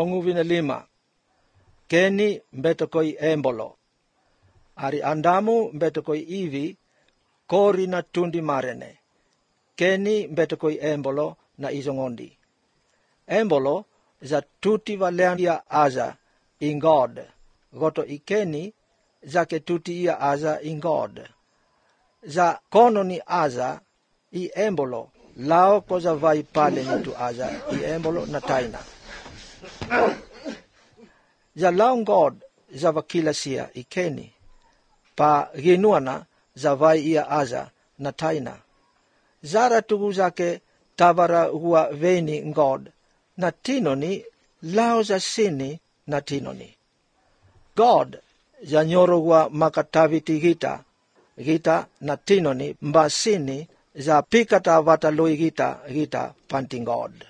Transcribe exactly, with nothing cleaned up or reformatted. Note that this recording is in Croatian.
longu vina lima. Keni mbetokoi embolo. Ari Andamu mbetokoi ivi kori na tundi marene. Keni mbetokoi embolo na izongondi. Embolo za tuti valean ia aza in God. Goto ikeni zake tuti ia aza in God. Za kono ni aza i embolo. Lao koza vai pale nitu aza i embolo na taina. Za lao God za vakila sia ikeni. Pa ginuana za vai ia aza na taina. Zara tugu zake tavara hua veni God. Na tinoni lao za sini na tinoni. God za nyoro hua makataviti gita. Gita na tinoni mba sini za pikata vataloi gita gita panting God.